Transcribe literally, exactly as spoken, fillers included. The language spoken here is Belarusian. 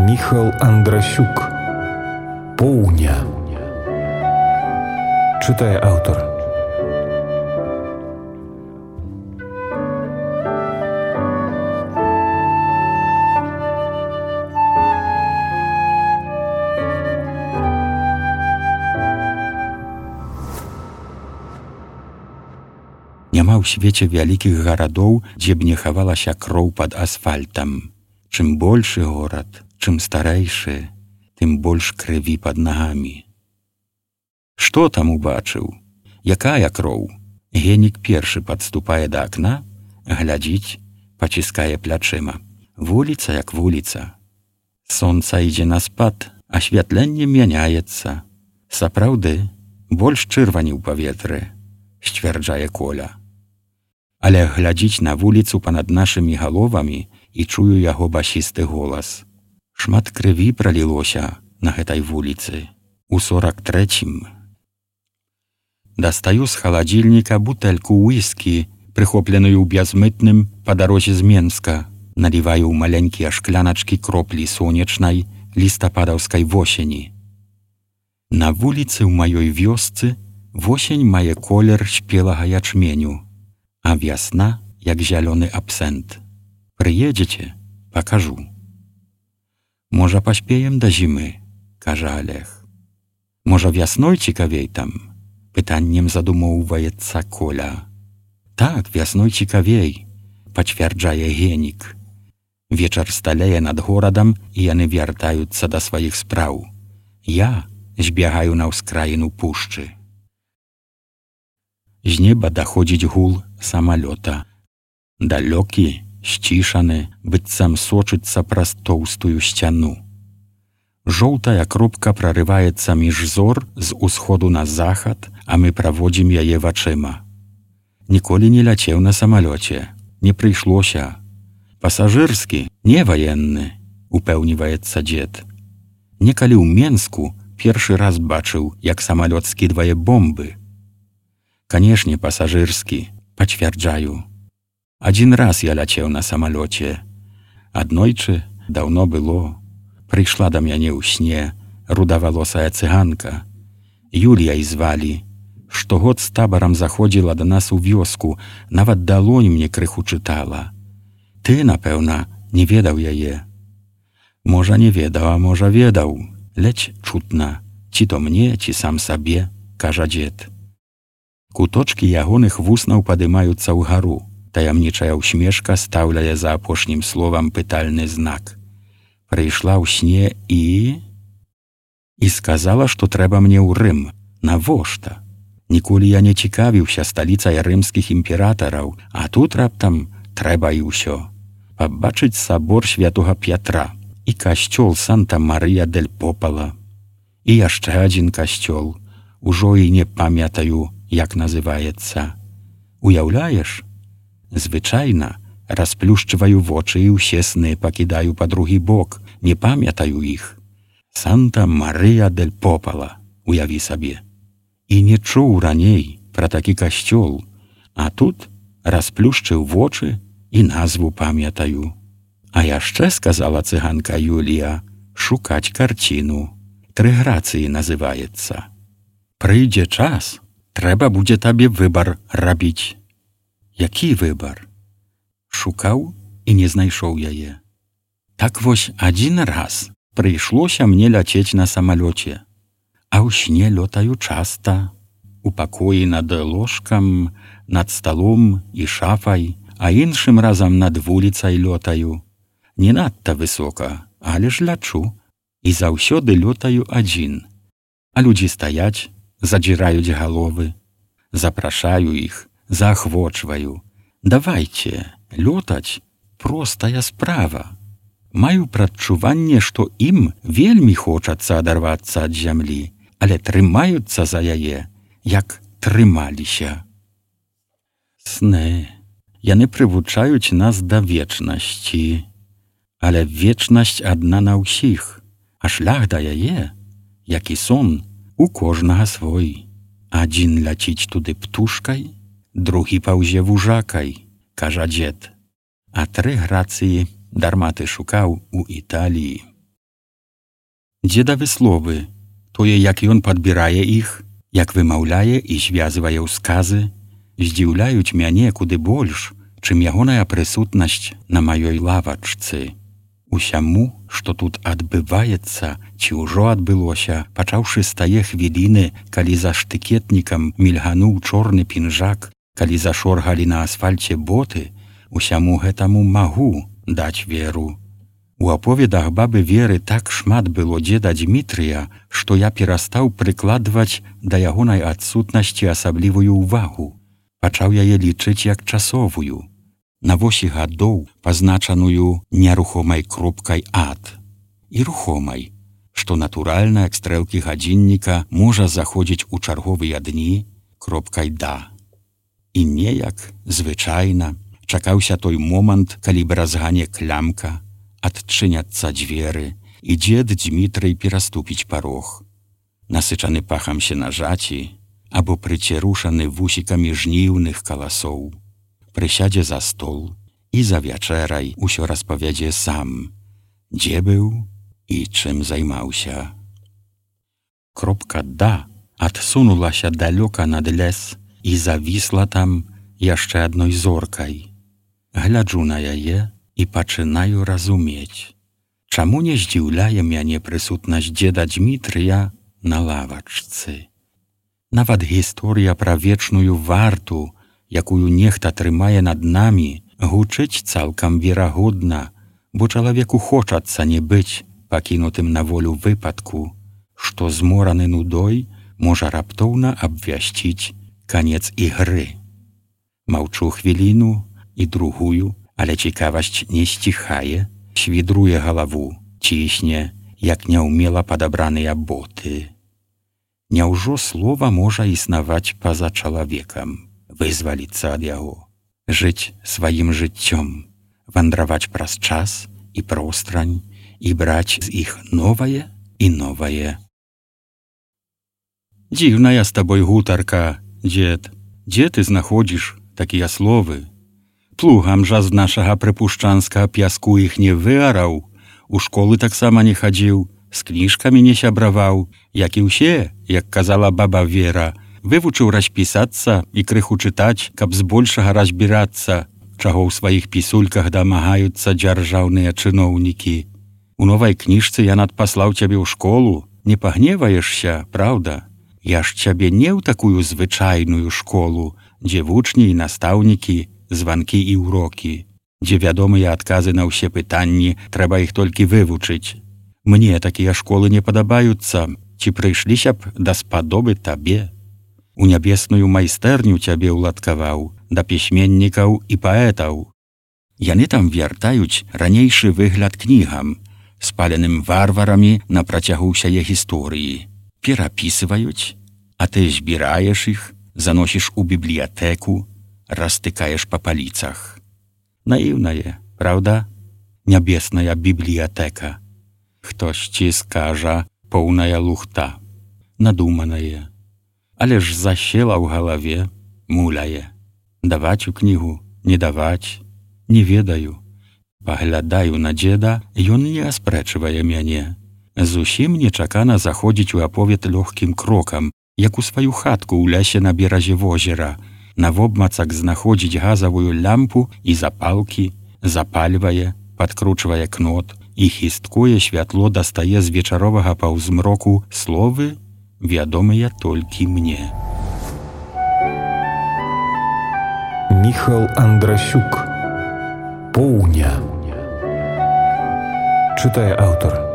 Міхал Андрасюк. Поўня. Чытае аўтар. Няма ў свеце вялікіх гарадоў, дзе б не хавалася кроў пад асфальтам. Чым большы горад, чым старэйшы, тым больш крыві пад нагамі. Што там убачыў? Якая кроў? Генік першы падступае да акна, глядзіць, паціскае плячыма. Вуліца як вуліца. Сонца ідзе на спад, асвятленне мяняецца. Сапраўды, больш чырвані ў паветры, сцвярджае Коля. Але глядзіць на вуліцу панад нашымі галовамі і чую яго басісты голас. Шмат крыві пралілося на гэтай вуліцы. У сорак трэцім. Дастаю з халадзільніка бутэльку уіскі, прыхопленую бязмытным па дарозе з Менска. Наліваю ў маленькія шкляначкі кроплі сонечнай лістападаўскай восені. На вуліцы ў маёй вёсцы восень мае колер спелага ячменю, а вясна як зялёны абсент. Прыедзеце, пакажу. Можа, паспеем да зімы, кажа Олег. Можа, вясной цікавей там? Пытаннем задумоўваецца Коля. Так, вясной цікавей, пацвярджае Генік. Вечар сталее над горадам, і яны вяртаюцца да сваіх спраў. Я збягаю на ўскраіну пушчы. З неба даходзіць гул самалёта. Далёкі, сцішаны, быццам сочыцца праз тоўстую сцяну. Жоўтая кропка прарываецца між зор з усходу на захад, а мы праводзім яе вачыма. Ніколі не ляцеў на самалёце, не прыйшлося. Пасажырскі, не ваенны, упэўніваецца дзед. Некалі ў Менску першы раз бачыў, як самалёт скідвае бомбы. Канешне, пасажырскі, пацвярджаю. Адзін раз я ляцеў на самалёце. Аднойчы, даўно было, прыйшла да мяне ў сне рудавалосая цыганка. Юліяй звалі. Штогод з табарам заходзіла да нас у вёску, нават далонь мне крыху чытала. Ты, напэўна, не ведаў яе. Можа, не ведаў, а можа, ведаў. Ледзь чутна, ці то мне, ці сам сабе, кажа дзед. Куточкі ягоных вуснаў падымаюцца ўгару. Таямнічая ўсмешка стаўляе за апошнім словам пытальны знак. Прыйшла ў сне і... І сказала, што трэба мне ў Рым. Навошта? Ніколі я не цікавіўся сталіцай рымскіх імператараў, а тут раптам трэба і ўсё. Пабачыць сабор святога П'ятра і касцёл Санта-Марыя-дель-Попала. І яшчэ адзін касцёл. Ужо і не памятаю, як называецца. Уяўляеш? Звычайна расплюшчваю вочы і ўсе сны пакідаю па другі бок, не памятаю іх. Санта-Марыя-дель-Попала, уяві сабе. І не чуў раней пра такі касцёл, а тут расплюшчыў вочы і назву памятаю. А яшчэ, сказала цыганка Юлія, шукаць карціну. Тры грацыі называецца. Прыйдзе час, трэба будзе табе выбар рабіць. Які выбар? Шукаў і не знайшоў яе. Так вось адзін раз прыйшлося мне ляцець на самалёце. А ў сне лётаю часта. У пакоі над ложкам, над сталом і шафай, а іншым разам над вуліцай лётаю. Не надта высока, але ж лячу. І заўсёды лётаю адзін. А людзі стаяць, задзіраюць галовы. Запрашаю іх, заахвочваю. Давайце, лётаць простая справа. Маю прадчуванне, што ім вельмі хочацца адарвацца ад зямлі, але трымаюцца за яе, як трымаліся. Сны. Яны прывучаюць нас да вечнасці. Але вечнасць адна на ўсіх, а шлях да яе, як і сон, у кожнага свой. Адзін ляціць туды птушкай, другі паўзе вужакай, кажа дзед. А тры грацыі дарма ты шукаў у Італіі. Дзедавы словы, тое, як ён падбірае іх, як вымаўляе і звязвае ў сказы, здзіўляюць мяне куды больш, чым ягоная прысутнасць на маёй лавачцы. Усяму, што тут адбываецца, ці ўжо адбылося, пачаўшы з тае хвіліны, калі за штыкетнікам мільгануў чорны пінжак, калі зашоргалі на асфальце боты, усяму гэтаму магу даць веру. У аповедах бабы Веры так шмат было дзеда Дмітрыя, што я перастаў прыкладваць да ягонай адсутнасці асаблівую ўвагу. Пачаў яе лічыць як часовую. На восі гадоў, пазначаную нерухомай кропкай ад. І рухомай, што натуральна, як стрэлкі гадзінніка, можа заходзіць у чарговыя дні кропкай да. І неяк, звычайна, чакаўся той момант, калі бразгане клямка, адчыняцца дзверы, і дзед Дмітрый пераступіць парог. Насычаны пахам сенажаці, або прыцерушаны вусікамі жніўных каласоў. Прысядзе за стол і за вячэрай усё распавядзе сам, дзе быў і чым займаўся. Кропка «да» адсунулася далёка над лес і завісла там яшчэ адной зоркай. Гляджу на яе і пачынаю разумець, чаму не здзіўляе мяне прысутнасць дзеда Дмітрыя на лавачцы. Нават гісторыя пра вечную варту, якую нехта трымае над намі, гучыць цалкам верагодна, бо чалавеку хочацца не быць пакінутым на волю выпадку, што змораны нудой можа раптоўна абвясціць канец ігры. Маўчу хвіліну і другую, але цікавасць не сціхае, свідруе галаву, цісне, як няўмела падабраныя боты. Няўжо слова можа існаваць па-за чалавекам? Вызваліцца ад яго, жыць сваім жыццём, вандраваць праз час і пространь і браць з іх новае і новае. Дзіўная з табой гутарка, дзед. Дзе ты знаходзіш такія словы? Плугам жа з нашага прыпушчанскага пяску іх не выараў, у школы таксама не хадзіў, з кніжкамі не сябраваў, як і ўсе, як казала баба Вера, вывучыў распісацца і крыху чытаць, каб збольшага разбірацца, чаго ў сваіх пісульках дамагаюцца дзяржаўныя чыноўнікі. У новай кніжцы я надпаслаў цябе ў школу, не пагневаешся, праўда? Я ж цябе не ў такую звычайную школу, дзе вучні і настаўнікі, званкі і ўрокі, дзе вядомыя адказы на ўсе пытанні, трэба іх толькі вывучыць. Мне такія школы не падабаюцца, ці прыйшліся б даспадобы табе. У нябесную майстэрню цябе ўладкаваў, да пісьменнікаў і паэтаў. Яны там вяртаюць ранейшы выгляд кнігам, спаленым варварамі на працягу ўсяе гісторыі. Перапісваюць, а ты збіраеш іх, заносіш у бібліятэку, растыкаеш па паліцах. Наіўнае, праўда? Нябесная бібліятэка. Хтосьці скажа, поўная лухта, надуманае. Але ж засела ў галаве, муляе. Даваць у кнігу, не даваць, не ведаю. Паглядаю на дзеда, ён не аспрэчвае мяне. Зусім нечакана заходзіць у аповед лёгкім крокам, як у сваю хатку ў лясе на беразе возера. Навобмацак знаходзіць газавую лямпу і запалкі, запальвае, падкручвае кнот і хісткое святло дастае з вечаровага паўзмроку словы, вядомыя толькі мне. Міхал Андрасюк. Поўня. Чытае аўтар.